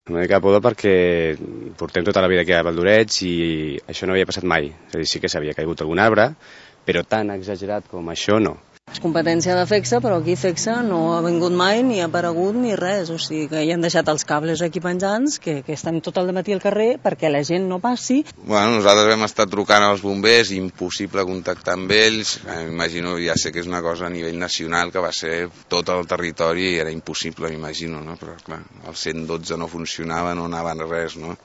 Una mica de pudor perquè portem tota la vida aquí a Valdoreig i això no havia passat mai. És a dir, sí que s'havia caigut algun arbre, però tan exagerat com això no. És competència de FECSA, però aquí FECSA no ha vingut mai, ni ha aparegut, ni res. O sigui que hi han deixat els cables aquí penjants, que estan tot el matí al carrer perquè la gent no passi. Bueno, nosaltres vam estar trucant als bombers, impossible contactar amb ells. M'imagino, ja sé que és una cosa a nivell nacional, que va ser tot el territori i era impossible, m'imagino, no? Però clar, el 112 no funcionava, no anava res, no?